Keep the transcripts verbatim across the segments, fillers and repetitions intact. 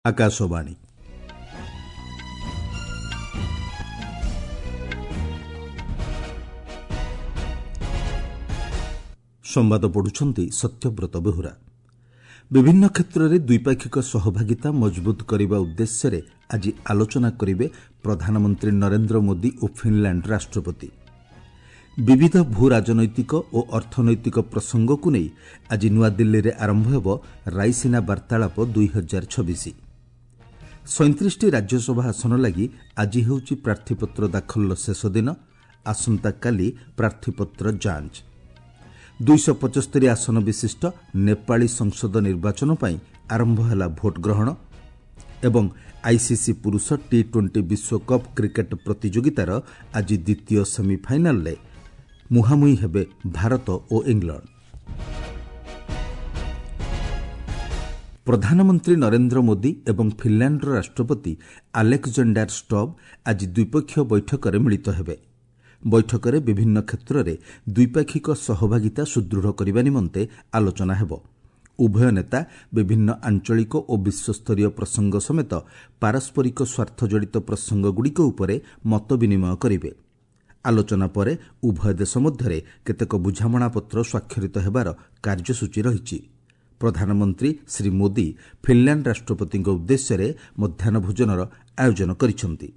ଆକାଶବାଣୀ। ସମ୍ବାଦ ପଢୁଛନ୍ତି ସତ୍ୟବ୍ରତ ବେହୁରା। ବିଭିନ୍ନ କ୍ଷେତ୍ରରେ ଦ୍ୱିପାକ୍ଷିକ ସହଭାଗିତା ମଜବୁତ କରିବା ଉଦ୍ଦେଶ୍ୟରେ ଆଜି ଆଲୋଚନା କରିବେ ପ୍ରଧାନମନ୍ତ୍ରୀ ନରେନ୍ଦ୍ର ମୋଦି ଓ ଫିନ୍ଲାଣ୍ଡ ରାଷ୍ଟ୍ରପତି। ବିବିଧ ଭୂ ରାଜନୈତିକ ଓ ଅର୍ଥନୈତିକ ପ୍ରସଙ୍ଗକୁ ନେଇ ଆଜି ନୂଆଦିଲ୍ଲୀରେ ଆରମ୍ଭ ହେବ ରାଇସିନା ବାର୍ତ୍ତାଳାପ ଦୁଇ ହଜାର ଛବିଶ। ସଇଁତିରିଶଟି ରାଜ୍ୟସଭା ଆସନ ଲାଗି ଆଜି ହେଉଛି ପ୍ରାର୍ଥୀପତ୍ର ଦାଖଲର ଶେଷ ଦିନ। ଆସନ୍ତାକାଲି ପ୍ରାର୍ଥୀପତ୍ର ଯାଞ୍ଚ। ଦୁଇଶହ ପଞ୍ଚସ୍ତରୀ ଆସନ ବିଶିଷ୍ଟ ନେପାଳୀ ସଂସଦ ନିର୍ବାଚନ ପାଇଁ ଆରମ୍ଭ ହେଲା ଭୋଟ ଗ୍ରହଣ ଏବଂ ଆଇସିସି ପୁରୁଷ ଟି ଟ୍ୱେଣ୍ଟି ବିଶ୍ୱକପ୍ କ୍ରିକେଟ୍ ପ୍ରତିଯୋଗିତାର ଆଜି ଦ୍ୱିତୀୟ ସେମିଫାଇନାଲ୍ରେ ମୁହାଁମୁହିଁ ହେବେ ଭାରତ ଓ ଇଂଲଣ୍ଡ। ପ୍ରଧାନମନ୍ତ୍ରୀ ନରେନ୍ଦ୍ର ମୋଦି ଏବଂ ଫିନ୍ଲାଣ୍ଡର ରାଷ୍ଟ୍ରପତି ଆଲେକ୍ଜାଣ୍ଡାର ଷ୍ଟବ୍ ଆଜି ଦ୍ୱିପକ୍ଷୀୟ ବୈଠକରେ ମିଳିତ ହେବେ। ବୈଠକରେ ବିଭିନ୍ନ କ୍ଷେତ୍ରରେ ଦ୍ୱିପାକ୍ଷିକ ସହଭାଗିତା ସୁଦୃଢ଼ କରିବା ନିମନ୍ତେ ଆଲୋଚନା ହେବ। ଉଭୟ ନେତା ବିଭିନ୍ନ ଆଞ୍ଚଳିକ ଓ ବିଶ୍ୱସ୍ତରୀୟ ପ୍ରସଙ୍ଗ ସମେତ ପାରସ୍ପରିକ ସ୍ୱାର୍ଥଜଡ଼ିତ ପ୍ରସଙ୍ଗଗୁଡ଼ିକ ଉପରେ ମତ ବିନିମୟ କରିବେ। ଆଲୋଚନା ପରେ ଉଭୟ ଦେଶ ମଧ୍ୟରେ କେତେକ ବୁଝାମଣାପତ୍ର ସ୍ୱାକ୍ଷରିତ ହେବାର କାର୍ଯ୍ୟସୂଚୀ ରହିଛି। ପ୍ରଧାନମନ୍ତ୍ରୀ ଶ୍ରୀ ମୋଦି ଫିନ୍ଲାଣ୍ଡ ରାଷ୍ଟ୍ରପତିଙ୍କ ଉଦ୍ଦେଶ୍ୟରେ ମଧ୍ୟାହ୍ନ ଭୋଜନର ଆୟୋଜନ କରିଛନ୍ତି।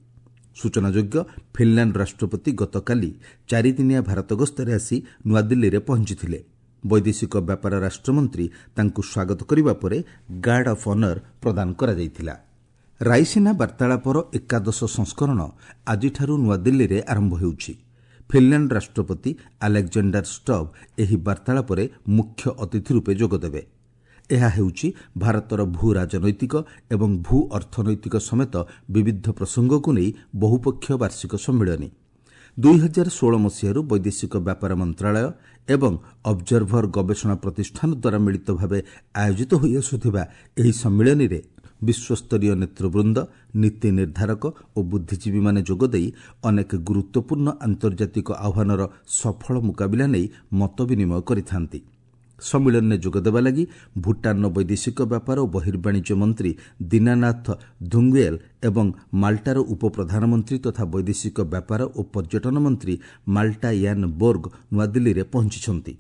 ସୂଚନାଯୋଗ୍ୟ, ଫିନ୍ଲାଣ୍ଡ ରାଷ୍ଟ୍ରପତି ଗତକାଲି ଚାରିଦିନିଆ ଭାରତ ଗସ୍ତରେ ଆସି ନୂଆଦିଲ୍ଲୀରେ ପହଞ୍ଚିଥିଲେ। ବୈଦେଶିକ ବ୍ୟାପାର ରାଷ୍ଟ୍ରମନ୍ତ୍ରୀ ତାଙ୍କୁ ସ୍ୱାଗତ କରିବା ପରେ ଗାର୍ଡ ଅଫ୍ ଅନର୍ ପ୍ରଦାନ କରାଯାଇଥିଲା। ରାଇସିନା ବାର୍ତ୍ତାଳାପର ଏକାଦଶ ସଂସ୍କରଣ ଆଜିଠାରୁ ନୂଆଦିଲ୍ଲୀରେ ଆରମ୍ଭ ହେଉଛି। ଫିନ୍ଲାଣ୍ଡ ରାଷ୍ଟ୍ରପତି ଆଲେକ୍ଜାଣ୍ଡାର ଷ୍ଟବ୍ ଏହି ବାର୍ତ୍ତାଳାପରେ ମୁଖ୍ୟ ଅତିଥି ରୂପେ ଯୋଗଦେବେ। ଏହା ହେଉଛି ଭାରତର ଭୂ ରାଜନୈତିକ ଏବଂ ଭୂ ଅର୍ଥନୈତିକ ସମେତ ବିବିଧ ପ୍ରସଙ୍ଗକୁ ନେଇ ବହୁପକ୍ଷୀୟ ବାର୍ଷିକ ସମ୍ମିଳନୀ। ଦୁଇ ହଜାର ଷୋହଳ ମସିହାରୁ ବୈଦେଶିକ ବ୍ୟାପାର ମନ୍ତ୍ରଣାଳୟ ଏବଂ ଅବଜର୍ଭର ଗବେଷଣା ପ୍ରତିଷ୍ଠାନ ଦ୍ୱାରା ମିଳିତ ଭାବେ ଆୟୋଜିତ ହୋଇଆସୁଥିବା ଏହି ସମ୍ମିଳନୀରେ ବିଶ୍ୱସ୍ତରୀୟ ନେତୃବୃନ୍ଦ, ନୀତି ନିର୍ଦ୍ଧାରକ ଓ ବୁଦ୍ଧିଜୀବୀମାନେ ଯୋଗଦେଇ ଅନେକ ଗୁରୁତ୍ୱପୂର୍ଣ୍ଣ ଆନ୍ତର୍ଜାତିକ ଆହ୍ୱାନର ସଫଳ ମୁକାବିଲା ନେଇ ମତ ବିନିମୟ କରିଥାନ୍ତି। ସମ୍ମିଳନୀରେ ଯୋଗଦେବା ଲାଗି ଭୁଟାନର ବୈଦେଶିକ ବ୍ୟାପାର ଓ ବହିର୍ବାଣିଜ୍ୟ ମନ୍ତ୍ରୀ ଦୀନାନାଥ ଧୁଙ୍ଗୁଏଲ୍ ଏବଂ ମାଲ୍ଟାର ଉପପ୍ରଧାନମନ୍ତ୍ରୀ ତଥା ବୈଦେଶିକ ବ୍ୟାପାର ଓ ପର୍ଯ୍ୟଟନ ମନ୍ତ୍ରୀ ମାଲ୍ଟା ୟାନ୍ ବୋର୍ଗ ନୂଆଦିଲ୍ଲୀରେ ପହଞ୍ଚିଛନ୍ତି।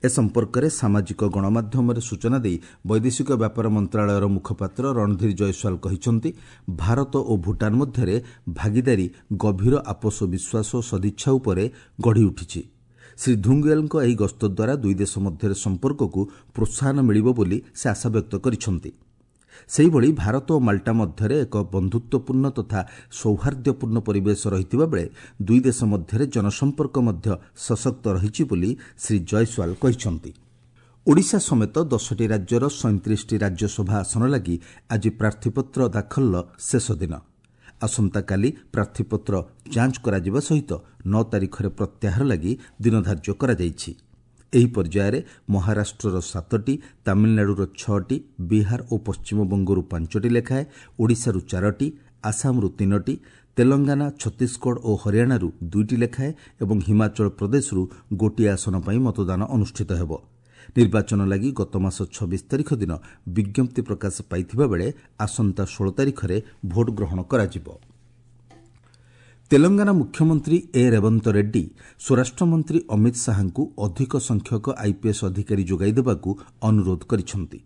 ଏ ସମ୍ପର୍କରେ ସାମାଜିକ ଗଣମାଧ୍ୟମରେ ସୂଚନା ଦେଇ ବୈଦେଶିକ ବ୍ୟାପାର ମନ୍ତ୍ରଣାଳୟର ମୁଖପାତ୍ର ରଣଧୀର ଜୟସ୍ୱାଲ କହିଛନ୍ତି, ଭାରତ ଓ ଭୁଟାନ ମଧ୍ୟରେ ଭାଗିଦାରୀ ଗଭୀର ଆପୋଷ ବିଶ୍ୱାସ ଓ ସଦିଚ୍ଛା ଉପରେ ଗଢ଼ିଉଠିଛି। ଶ୍ରୀ ଧୁଙ୍ଗୁଏଲ୍ଙ୍କ ଏହି ଗସ୍ତ ଦ୍ୱାରା ଦୁଇ ଦେଶ ମଧ୍ୟରେ ସମ୍ପର୍କକୁ ପ୍ରୋତ୍ସାହନ ମିଳିବ ବୋଲି ସେ ଆଶାବ୍ୟକ୍ତ କରିଛନ୍ତି। ସେହିଭଳି ଭାରତ ଓ ମାଲ୍ଟା ମଧ୍ୟରେ ଏକ ବନ୍ଧୁତ୍ୱପୂର୍ଣ୍ଣ ତଥା ସୌହାର୍ଦ୍ଦ୍ୟପୂର୍ଣ୍ଣ ପରିବେଶ ରହିଥିବା ବେଳେ ଦୁଇ ଦେଶ ମଧ୍ୟରେ ଜନସମ୍ପର୍କ ମଧ୍ୟ ସଶକ୍ତ ରହିଛି ବୋଲି ଶ୍ରୀ ଜୟସ୍ୱାଲ କହିଛନ୍ତି। ଓଡ଼ିଶା ସମେତ ଦଶଟି ରାଜ୍ୟର ସଇଁତିରିଶଟି ରାଜ୍ୟସଭା ଆସନ ଲାଗି ଆଜି ପ୍ରାର୍ଥୀପତ୍ର ଦାଖଲର ଶେଷ ଦିନ। ଆସନ୍ତାକାଲି ପ୍ରାର୍ଥୀପତ୍ର ଯାଞ୍ଚ କରାଯିବା ସହିତ ନଅ ତାରିଖରେ ପ୍ରତ୍ୟାହାର ଲାଗି ଦିନ ଧାର୍ଯ୍ୟ କରାଯାଇଛି। ଏହି ପର୍ଯ୍ୟାୟରେ ମହାରାଷ୍ଟ୍ରର ସାତଟି, ତାମିଲନାଡୁର ଛଅଟି, ବିହାର ଓ ପଶ୍ଚିମବଙ୍ଗରୁ ପାଞ୍ଚଟି ଲେଖାଏଁ, ଓଡ଼ିଶାରୁ ଚାରୋଟି, ଆସାମରୁ ତିନୋଟି, ତେଲଙ୍ଗାନା, ଛତିଶଗଡ଼ ଓ ହରିୟାଣାରୁ ଦୁଇଟି ଲେଖାଏଁ ଏବଂ ହିମାଚଳ ପ୍ରଦେଶରୁ ଗୋଟିଏ ଆସନ ପାଇଁ ମତଦାନ ଅନୁଷ୍ଠିତ ହେବ। ନିର୍ବାଚନ ଲାଗି ଗତମାସ ଛବିଶ ତାରିଖ ଦିନ ବିଜ୍ଞପ୍ତି ପ୍ରକାଶ ପାଇଥିବା ବେଳେ ଆସନ୍ତା ଷୋହଳ ତାରିଖରେ ଭୋଟ ଗ୍ରହଣ କରାଯିବ। ତେଲଙ୍ଗାନା ମୁଖ୍ୟମନ୍ତ୍ରୀ ଏ ରେବନ୍ତ ରେଡ୍ଡି ସ୍ୱରାଷ୍ଟ୍ରମନ୍ତ୍ରୀ ଅମିତ ଶାହାଙ୍କୁ ଅଧିକ ସଂଖ୍ୟକ ଆଇପିଏସ୍ ଅଧିକାରୀ ଯୋଗାଇ ଦେବାକୁ ଅନୁରୋଧ କରିଛନ୍ତି।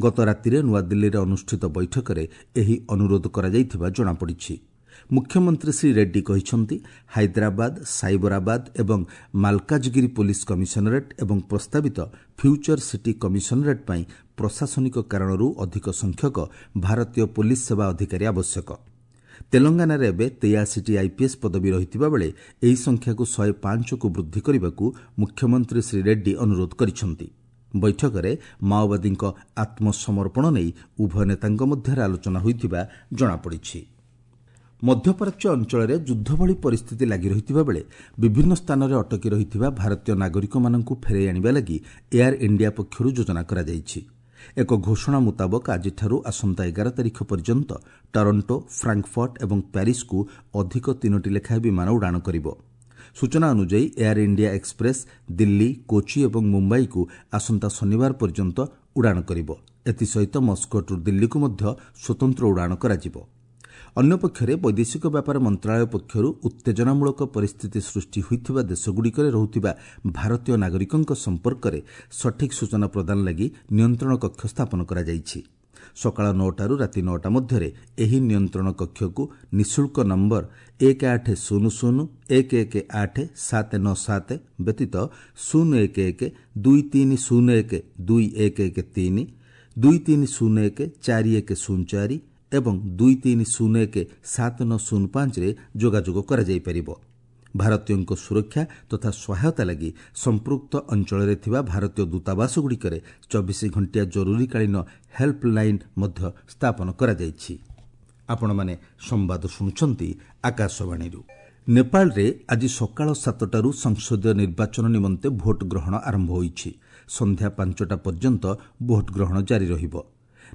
ଗତ ରାତିରେ ନୂଆଦିଲ୍ଲୀରେ ଅନୁଷ୍ଠିତ ବୈଠକରେ ଏହି ଅନୁରୋଧ କରାଯାଇଥିବା ଜଣାପଡ଼ିଛି। ମୁଖ୍ୟମନ୍ତ୍ରୀ ଶ୍ରୀ ରେଡ୍ଡି କହିଛନ୍ତି, ହାଇଦ୍ରାବାଦ, ସାଇବରାବାଦ ଏବଂ ମାଲକାଜଗିରି ପୋଲିସ କମିଶନରେଟ୍ ଏବଂ ପ୍ରସ୍ତାବିତ ଫ୍ୟୁଚର ସିଟି କମିଶନରେଟ୍ ପାଇଁ ପ୍ରଶାସନିକ କାରଣରୁ ଅଧିକ ସଂଖ୍ୟକ ଭାରତୀୟ ପୋଲିସ ସେବା ଅଧିକାରୀ ଆବଶ୍ୟକ। ତେଲଙ୍ଗାନାରେ ଏବେ ତେୟାଅଶୀଟି ଆଇପିଏସ୍ ପଦବୀ ରହିଥିବା ବେଳେ ଏହି ସଂଖ୍ୟାକୁ ଶହେ ପାଞ୍ଚକୁ ବୃଦ୍ଧି କରିବାକୁ ମୁଖ୍ୟମନ୍ତ୍ରୀ ଶ୍ରୀ ରେଡ୍ଡି ଅନୁରୋଧ କରିଛନ୍ତି। ବୈଠକରେ ମାଓବାଦୀଙ୍କ ଆତ୍ମସମର୍ପଣ ନେଇ ଉଭୟ ନେତାଙ୍କ ମଧ୍ୟରେ ଆଲୋଚନା ହୋଇଥିବା ଜଣାପଡ଼ିଛି। ମଧ୍ୟପ୍ରାଚ୍ୟ ଅଞ୍ଚଳରେ ଯୁଦ୍ଧ ଭଳି ପରିସ୍ଥିତି ଲାଗି ରହିଥିବା ବେଳେ ବିଭିନ୍ନ ସ୍ଥାନରେ ଅଟକି ରହିଥିବା ଭାରତୀୟ ନାଗରିକମାନଙ୍କୁ ଫେରାଇ ଆଣିବା ଲାଗି ଏୟାର ଇଣ୍ଡିଆ ପକ୍ଷରୁ ଯୋଜନା କରାଯାଇଛି। ଏକ ଘୋଷଣା ମୁତାବକ ଆଜିଠାରୁ ଆସନ୍ତା ଏଗାର ତାରିଖ ପର୍ଯ୍ୟନ୍ତ ଟରଣ୍ଟୋ, ଫ୍ରାଙ୍କଫର୍ଟ ଏବଂ ପ୍ୟାରିସ୍କୁ ଅଧିକ ତିନୋଟି ଲେଖାଏଁ ବିମାନ ଉଡ଼ାଣ କରିବ। ସୂଚନା ଅନୁଯାୟୀ air India express Delhi, Kochi ଏବଂ ମୁମ୍ବାଇକୁ ଆସନ୍ତା ଶନିବାର ପର୍ଯ୍ୟନ୍ତ ଉଡ଼ାଣ କରିବ। ଏଥିସହିତ ମସ୍କୋଟ୍ରୁ ଦିଲ୍ଲୀକୁ ମଧ୍ୟ ସ୍ୱତନ୍ତ୍ର ଉଡ଼ାଣ କରାଯିବ। ଅନ୍ୟପକ୍ଷରେ ବୈଦେଶିକ ବ୍ୟାପାର ମନ୍ତ୍ରଣାଳୟ ପକ୍ଷରୁ ଉତ୍ତେଜନାମୂଳକ ପରିସ୍ଥିତି ସୃଷ୍ଟି ହୋଇଥିବା ଦେଶଗୁଡ଼ିକରେ ରହୁଥିବା ଭାରତୀୟ ନାଗରିକଙ୍କ ସମ୍ପର୍କରେ ସଠିକ୍ ସୂଚନା ପ୍ରଦାନ ଲାଗି ନିୟନ୍ତ୍ରଣ କକ୍ଷ ସ୍ଥାପନ କରାଯାଇଛି। ସକାଳ ନଅଟାରୁ ରାତି ନଅଟା ମଧ୍ୟରେ ଏହି ନିୟନ୍ତ୍ରଣ କକ୍ଷକୁ ନିଃଶୁଳ୍କ ନମ୍ବର ଏକ ଆଠ ଶୂନ ଶୂନ ଏକ ଏକ ଆଠ ସାତ ନଅ ସାତ ବ୍ୟତୀତ ଶୂନ ଏକ ଏକ ଦୁଇ ତିନି ଶୂନ ଏକ ଦୁଇ ଏକ ଏକ ତିନି, ଦୁଇ ତିନି ଶୂନ ଏକ ଚାରି ଏକ ଶୂନ ଚାରି ଏବଂ ଦୁଇ ତିନି ଶୂନ ଏକ ସାତ ନଅ ଶୂନ ପାଞ୍ଚରେ ଯୋଗାଯୋଗ କରାଯାଇପାରିବ। ଭାରତୀୟଙ୍କ ସୁରକ୍ଷା ତଥା ସହାୟତା ଲାଗି ସମ୍ପୃକ୍ତ ଅଞ୍ଚଳରେ ଥିବା ଭାରତୀୟ ଦୂତାବାସଗୁଡ଼ିକରେ ଚବିଶ ଘଣ୍ଟିଆ ଜରୁରୀକାଳୀନ ହେଲ୍ପଲାଇନ୍ ମଧ୍ୟ ସ୍ଥାପନ କରାଯାଇଛି। ଆପଣମାନେ ସମ୍ବାଦ ଶୁଣୁଛନ୍ତି ଆକାଶବାଣୀରୁ। ନେପାଳରେ ଆଜି ସକାଳ ସାତଟାରୁ ସଂସଦୀୟ ନିର୍ବାଚନ ନିମନ୍ତେ ଭୋଟ ଗ୍ରହଣ ଆରମ୍ଭ ହୋଇଛି। ସନ୍ଧ୍ୟା ପାଞ୍ଚଟା ପର୍ଯ୍ୟନ୍ତ ଭୋଟ ଗ୍ରହଣ ଜାରି ରହିବ।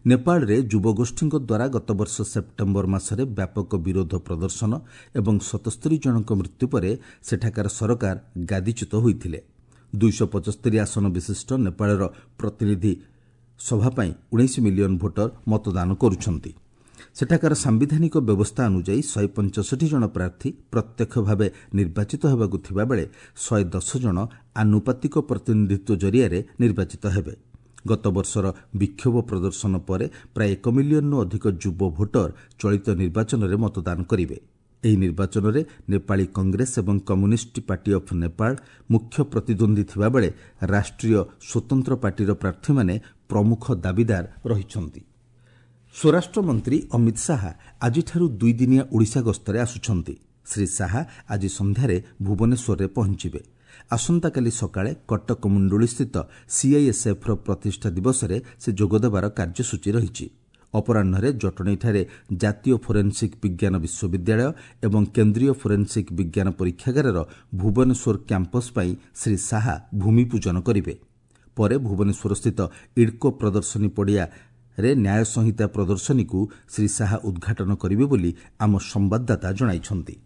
ନେପାଳରେ ଯୁବଗୋଷ୍ଠୀଙ୍କ ଦ୍ୱାରା ଗତବର୍ଷ ସେପ୍ଟେମ୍ବର ମାସରେ ବ୍ୟାପକ ବିରୋଧ ପ୍ରଦର୍ଶନ ଏବଂ ସତସ୍ତରୀ ଜଣଙ୍କ ମୃତ୍ୟୁ ପରେ ସେଠାକାର ସରକାର ଗାଦିଚ୍ୟୁତ ହୋଇଥିଲେ। ଦୁଇଶହ ପଚସ୍ତରୀ ଆସନ ବିଶିଷ୍ଟ ନେପାଳର ପ୍ରତିନିଧି ସଭା ପାଇଁ ଉଣେଇଶ ମିଲିୟନ ଭୋଟର ମତଦାନ କରୁଛନ୍ତି। ସେଠାକାର ସାମ୍ବିଧାନିକ ବ୍ୟବସ୍ଥା ଅନୁଯାୟୀ ଶହେ ପଞ୍ଚଷଠି ଜଣ ପ୍ରାର୍ଥୀ ପ୍ରତ୍ୟକ୍ଷ ଭାବେ ନିର୍ବାଚିତ ହେବାକୁ ଥିବାବେଳେ ଶହେ ଦଶ ଜଣ ଆନୁପାତିକ ପ୍ରତିନିଧିତ୍ୱ ଜରିଆରେ ନିର୍ବାଚିତ ହେବେ। ଗତବର୍ଷର ବିକ୍ଷୋଭ ପ୍ରଦର୍ଶନ ପରେ ପ୍ରାୟ ଏକ ମିଲିୟନରୁ ଅଧିକ ଯୁବ ଭୋଟର ଚଳିତ ନିର୍ବାଚନରେ ମତଦାନ କରିବେ। ଏହି ନିର୍ବାଚନରେ ନେପାଳୀ କଂଗ୍ରେସ ଏବଂ କମ୍ୟୁନିଷ୍ଟ ପାର୍ଟି ଅଫ୍ ନେପାଳ ମୁଖ୍ୟ ପ୍ରତିଦ୍ୱନ୍ଦ୍ୱୀ ଥିବାବେଳେ ରାଷ୍ଟ୍ରୀୟ ସ୍ୱତନ୍ତ୍ର ପାର୍ଟିର ପ୍ରାର୍ଥୀମାନେ ପ୍ରମୁଖ ଦାବିଦାର ରହିଛନ୍ତି। ସ୍ୱରାଷ୍ଟ୍ରମନ୍ତ୍ରୀ ଅମିତ ଶାହା ଆଜିଠାରୁ ଦୁଇଦିନିଆ ଓଡ଼ିଶା ଗସ୍ତରେ ଆସୁଛନ୍ତି। ଶ୍ରୀ ଶାହା ଆଜି ସନ୍ଧ୍ୟାରେ ଭୁବନେଶ୍ୱରରେ ପହଞ୍ଚିବେ। ଆସନ୍ତାକାଲି ସକାଳେ କଟକ ମୁଣ୍ଡୁଳିସ୍ଥିତ ସିଆଇଏସ୍ଏଫ୍ର ପ୍ରତିଷ୍ଠା ଦିବସରେ ସେ ଯୋଗଦେବାର କାର୍ଯ୍ୟସୂଚୀ ରହିଛି। ଅପରାହ୍ନରେ ଜଟଣୀଠାରେ ଜାତୀୟ ଫୋରେନ୍ସିକ୍ ବିଜ୍ଞାନ ବିଶ୍ୱବିଦ୍ୟାଳୟ ଏବଂ କେନ୍ଦ୍ରୀୟ ଫୋରେନ୍ସିକ୍ ବିଜ୍ଞାନ ପରୀକ୍ଷାଗାରର ଭୁବନେଶ୍ୱର କ୍ୟାମ୍ପସ୍ ପାଇଁ ଶ୍ରୀ ଶାହା ଭୂମିପୂଜନ କରିବେ। ପରେ ଭୁବନେଶ୍ୱରସ୍ଥିତ ଇଡ୍କୋ ପ୍ରଦର୍ଶନୀ ପଡ଼ିଆରେ ନ୍ୟାୟ ସଂହିତା ପ୍ରଦର୍ଶନୀକୁ ଶ୍ରୀ ଶାହା ଉଦ୍ଘାଟନ କରିବେ ବୋଲି ଆମ ସମ୍ବାଦଦାତା ଜଣାଇଛନ୍ତି।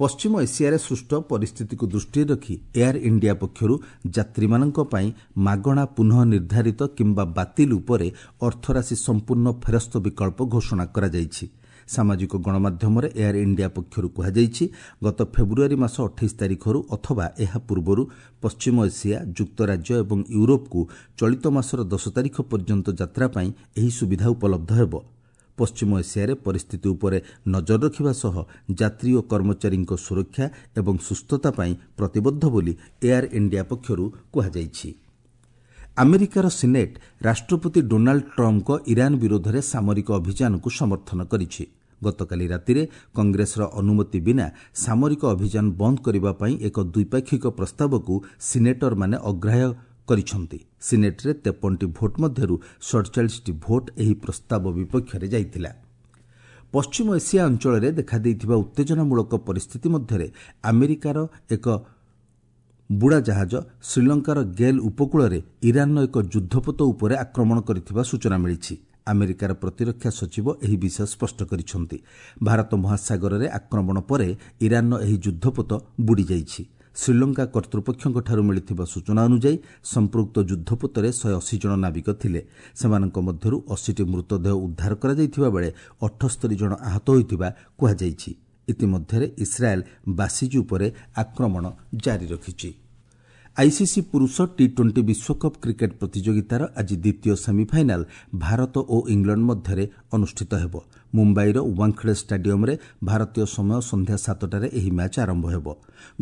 ପଶ୍ଚିମ ଏସିଆରେ ସୃଷ୍ଟ ପରିସ୍ଥିତିକୁ ଦୃଷ୍ଟିରେ ରଖି ଏୟାର ଇଣ୍ଡିଆ ପକ୍ଷରୁ ଯାତ୍ରୀମାନଙ୍କ ପାଇଁ ମାଗଣା ପୁନଃ ନିର୍ଦ୍ଧାରିତ କିମ୍ବା ବାତିଲ ଉପରେ ଅର୍ଥରାଶି ସମ୍ପୂର୍ଣ୍ଣ ଫେରସ୍ତ ବିକଳ୍ପ ଘୋଷଣା କରାଯାଇଛି। ସାମାଜିକ ଗଣମାଧ୍ୟମରେ ଏୟାର ଇଣ୍ଡିଆ ପକ୍ଷରୁ କୁହାଯାଇଛି, ଗତ ଫେବୃଆରୀ ମାସ ଅଠେଇଶ ତାରିଖରୁ ଅଥବା ଏହା ପୂର୍ବରୁ ପଶ୍ଚିମ ଏସିଆ, ଯୁକ୍ତରାଜ୍ୟ ଏବଂ ୟୁରୋପକୁ ଚଳିତ ମାସର ଦଶ ତାରିଖ ପର୍ଯ୍ୟନ୍ତ ଯାତ୍ରା ପାଇଁ ଏହି ସୁବିଧା ଉପଲବ୍ଧ ହେବ। ପଶ୍ଚିମ ଏସିଆରେ ପରିସ୍ଥିତି ଉପରେ ନଜର ରଖିବା ସହ ଯାତ୍ରୀ ଓ କର୍ମଚାରୀଙ୍କ ସୁରକ୍ଷା ଏବଂ ସୁସ୍ଥତା ପାଇଁ ପ୍ରତିବଦ୍ଧ ବୋଲି ଏୟାର ଇଣ୍ଡିଆ ପକ୍ଷରୁ କୁହାଯାଇଛି। ଆମେରିକାର ସିନେଟ୍ ରାଷ୍ଟ୍ରପତି ଡୋନାଲ୍ଡ ଟ୍ରମ୍ପଙ୍କ ଇରାନ ବିରୋଧରେ ସାମରିକ ଅଭିଯାନକୁ ସମର୍ଥନ କରିଛି। ଗତକାଲି ରାତିରେ କଂଗ୍ରେସର ଅନୁମତି ବିନା ସାମରିକ ଅଭିଯାନ ବନ୍ଦ କରିବା ପାଇଁ ଏକ ଦ୍ୱିପାକ୍ଷିକ ପ୍ରସ୍ତାବକୁ ସିନେଟରମାନେ ଅଗ୍ରାହ୍ୟ କରିଛନ୍ତି। ସିନେଟ୍ରେ ତେପନଟି ଭୋଟ୍ ମଧ୍ୟରୁ ସଡ଼ଚାଳିଶଟି ଭୋଟ୍ ଏହି ପ୍ରସ୍ତାବ ବିପକ୍ଷରେ ଯାଇଥିଲା। ପଶ୍ଚିମ ଏସିଆ ଅଞ୍ଚଳରେ ଦେଖାଦେଇଥିବା ଉତ୍ତେଜନାମୂଳକ ପରିସ୍ଥିତି ମଧ୍ୟରେ ଆମେରିକାର ଏକ ବୁଡ଼ାଜାହାଜ ଶ୍ରୀଲଙ୍କାର ଗେଲ୍ ଉପକୂଳରେ ଇରାନର ଏକ ଯୁଦ୍ଧପୋତ ଉପରେ ଆକ୍ରମଣ କରିଥିବା ସୂଚନା ମିଳିଛି। ଆମେରିକାର ପ୍ରତିରକ୍ଷା ସଚିବ ଏହି ବିଷୟ ସ୍ପଷ୍ଟ କରିଛନ୍ତି। ଭାରତ ମହାସାଗରରେ ଆକ୍ରମଣ ପରେ ଇରାନର ଏହି ଯୁଦ୍ଧପୋତ ବୁଡ଼ିଯାଇଛି। ଶ୍ରୀଲଙ୍କା କର୍ତ୍ତୃପକ୍ଷଙ୍କଠାରୁ ମିଳିଥିବା ସୂଚନା ଅନୁଯାୟୀ ସମ୍ପୃକ୍ତ ଯୁଦ୍ଧପୋତରେ ଶହେ ଅଶୀ ଜଣ ନାବିକ ଥିଲେ। ସେମାନଙ୍କ ମଧ୍ୟରୁ ଅଶୀଟି ମୃତଦେହ ଉଦ୍ଧାର କରାଯାଇଥିବା ବେଳେ ଅଠସ୍ତରୀ ଜଣ ଆହତ ହୋଇଥିବା କୁହାଯାଇଛି। ଇତିମଧ୍ୟରେ ଇସ୍ରାଏଲ୍ ବାସିଜ୍ ଉପରେ ଆକ୍ରମଣ ଜାରି ରଖିଛି। ଆଇସିସି ପୁରୁଷ ଟି ଟ୍ୱେଣ୍ଟି ବିଶ୍ୱକପ୍ କ୍ରିକେଟ୍ ପ୍ରତିଯୋଗିତାର ଆଜି ଦ୍ୱିତୀୟ ସେମିଫାଇନାଲ୍ ଭାରତ ଓ ଇଂଲଣ୍ଡ ମଧ୍ୟରେ ଅନୁଷ୍ଠିତ ହେବ। ମୁମ୍ବାଇର ୱାଙ୍ଖଡେ ଷ୍ଟାଡିୟମ୍ରେ ଭାରତୀୟ ସମୟ ସନ୍ଧ୍ୟା ସାତଟାରେ ଏହି ମ୍ୟାଚ୍ ଆରମ୍ଭ ହେବ।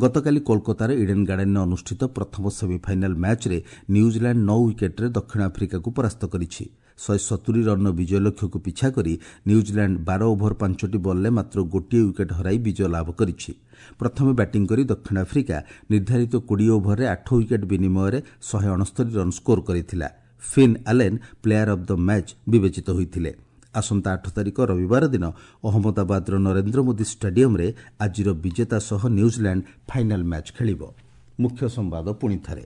ଗତକାଲି କୋଲକାତାର ଇଡେନ୍ ଗାର୍ଡେନ୍ରେ ଅନୁଷ୍ଠିତ ପ୍ରଥମ ସେମିଫାଇନାଲ୍ ମ୍ୟାଚ୍ରେ ନ୍ୟୁଜିଲାଣ୍ଡ ନଅ ୱିକେଟ୍ରେ ଦକ୍ଷିଣ ଆଫ୍ରିକାକୁ ପରାସ୍ତ କରିଛି। ଶହେ ସତୁରି ରନ୍ର ବିଜୟ ଲକ୍ଷ୍ୟକୁ ପିଛା କରି ନ୍ୟୁଜିଲାଣ୍ଡ ବାର ଓଭର ପାଞ୍ଚଟି ବଲ୍ରେ ମାତ୍ର ଗୋଟିଏ ୱିକେଟ୍ ହରାଇ ବିଜୟ ଲାଭ କରିଛି। ପ୍ରଥମେ ବ୍ୟାଟିଂ କରି ଦକ୍ଷିଣ ଆଫ୍ରିକା ନିର୍ଦ୍ଧାରିତ କୋଡ଼ିଏ ଓଭରରେ ଆଠ ୱିକେଟ୍ ବିନିମୟରେ ଶହେ ଅଣସ୍ତରୀ ରନ୍ ସ୍କୋର କରିଥିଲା। Finn Allen player of the match ବିବେଚିତ ହୋଇଥିଲେ। ଆସନ୍ତା ଆଠ ତାରିଖ ରବିବାର ଦିନ ଅହମ୍ମଦାବାଦର ନରେନ୍ଦ୍ର ମୋଦି ଷ୍ଟାଡିୟମ୍ରେ ଆଜିର ବିଜେତା ସହ ନ୍ୟୁଜିଲାଣ୍ଡ ଫାଇନାଲ୍ ମ୍ୟାଚ୍ ଖେଳିବ। ମୁଖ୍ୟ ସମ୍ବାଦ ପୁଣି ଥରେ।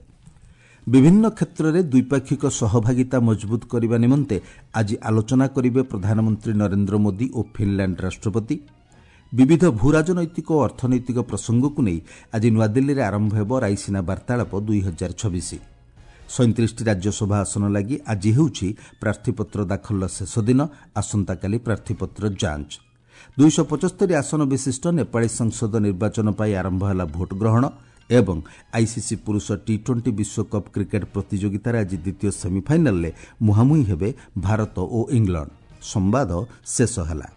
ବିଭିନ୍ନ କ୍ଷେତ୍ରରେ ଦ୍ୱିପାକ୍ଷିକ ସହଭାଗିତା ମଜବୁତ କରିବା ନିମନ୍ତେ ଆଜି ଆଲୋଚନା କରିବେ ପ୍ରଧାନମନ୍ତ୍ରୀ ନରେନ୍ଦ୍ର ମୋଦି ଓ ଫିନ୍ଲାଣ୍ଡ ରାଷ୍ଟ୍ରପତି। ବିବିଧ ଭୂରାଜନୈତିକ ଓ ଅର୍ଥନୈତିକ ପ୍ରସଙ୍ଗକୁ ନେଇ ଆଜି ନୂଆଦିଲ୍ଲୀରେ ଆରମ୍ଭ ହେବ ରାଇସିନା ବାର୍ତ୍ତାଳାପ ଦୁଇ ହଜାର ଛବିଶ। ସଇଁତିରିଶଟି ରାଜ୍ୟସଭା ଆସନ ଲାଗି ଆଜି ହେଉଛି ପ୍ରାର୍ଥୀପତ୍ର ଦାଖଲର ଶେଷ ଦିନ। ଆସନ୍ତାକାଲି ପ୍ରାର୍ଥୀପତ୍ର ଯାଞ୍ଚ। ଦୁଇଶହ ପଞ୍ଚସ୍ତରୀ ଆସନ ବିଶିଷ୍ଟ ନେପାଳୀ ସଂସଦ ନିର୍ବାଚନ ପାଇଁ ଆରମ୍ଭ ହେଲା ଭୋଟ ଗ୍ରହଣ। ଏବଂ ଆଇସିସି ପୁରୁଷ ଟି ଟ୍ୱେଣ୍ଟି ବିଶ୍ୱକପ୍ କ୍ରିକେଟ୍ ପ୍ରତିଯୋଗିତାରେ ଆଜି ଦ୍ୱିତୀୟ ସେମିଫାଇନାଲରେ ମୁହାଁମୁହିଁ ହେବେ ଭାରତ ଓ ଇଂଲଣ୍ଡ। ସମ୍ବାଦ ଶେଷ ହେଲା।